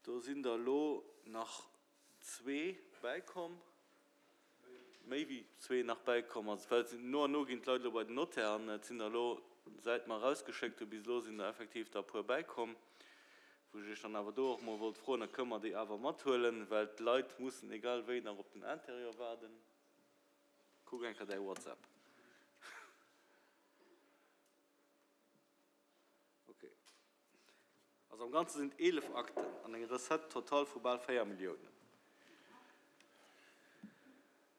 Do sinn der elo nach zwee bäikomm, méi wéi zwee nach bäikomm. Also well no an no ginn d'Leit elo bei den Notaire an et sinn der elo, säit mer erausgeschéckt hu bis elo, sinn der effektiv der e puer bäikomm, wou ech Iech dann awer do och mol wollt froen, da kënne mer déi awer mathuelen, well d'Leit mussen egal wéi nach op den Interieur waarden. Kuck eng Kéier däi WhatsApp. Ok. Also am Ganze sinn et 11 Akten an eng Recette totale vu bal 4 Milliounen.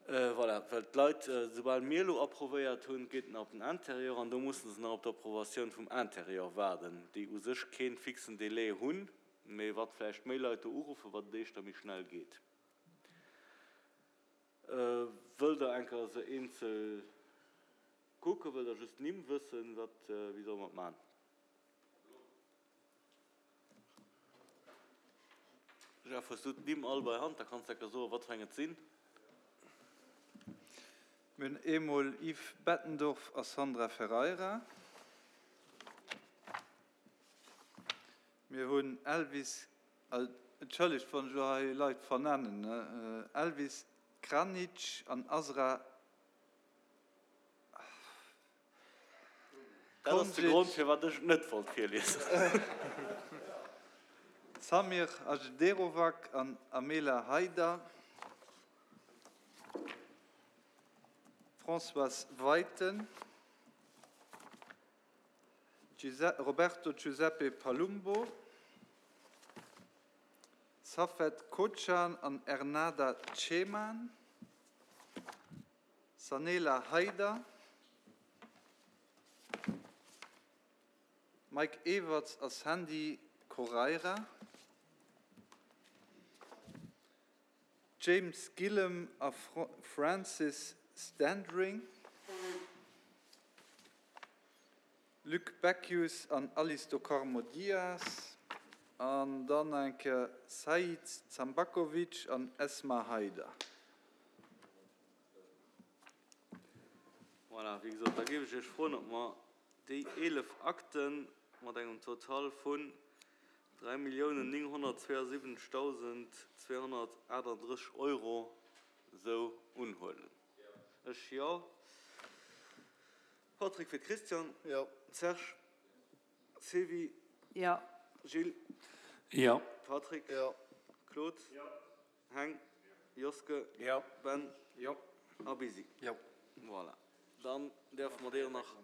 Voilà, well d'Leit, soubal mir elo approvéiert hunn, geet et nach op den Intérieur an do musse se nach op d'Approvatioun vum Intérieur waarden, déi u sech kee fixen Délai hunn, mee wat vläicht méi Leit do uruffen, wat et éischter méi schnell geet. Wëllt Der eng Kéier se eenzel kucken? Wëllt Der just d'Nimm wëssen? Wat, wéi solle mer et maachen? Jeff, hues du d'Nimm all bei Hand? Da kanns de enker soen, wat fir eng et sinn. Mir hunn eemol Yves Bettendorf a Sandra Ferreira. Mir hunn Elvis, entschëllegt, wann ech elo hei Leit vernennen, Elvis Kranic an Azra. Dat ass de Grond, firwat ech et net wollt virliesen. Samir Ajderovac an Amela Haider, Françoise Weiten, Roberto Giuseppe Palumbo, Safet Kocan an Ernada Ceman. Sanela Haider, Mike Everts a Sandy Correira, James Gillem a Francis Standring, Luc Beckius an Alice do Carmo Dias an dann eng Kéier Said Zambakovic an Esma Haider. Voilà, wéi gesot, da géif ech Iech froen, ob mer déi 11 Akte mat engem Total vun 3.972.238 Euro esou unhuelen. Ech jo. Patrick fir d'Christiane. Jo. Serge. Sylvie. Jo. Gilles. Jo. Patrick. Jo. Claude. Jo. Heng. Joske. Jo. Ben. Jo. A Bisi. Jo. Voilà, dann däerfe mer deer nach.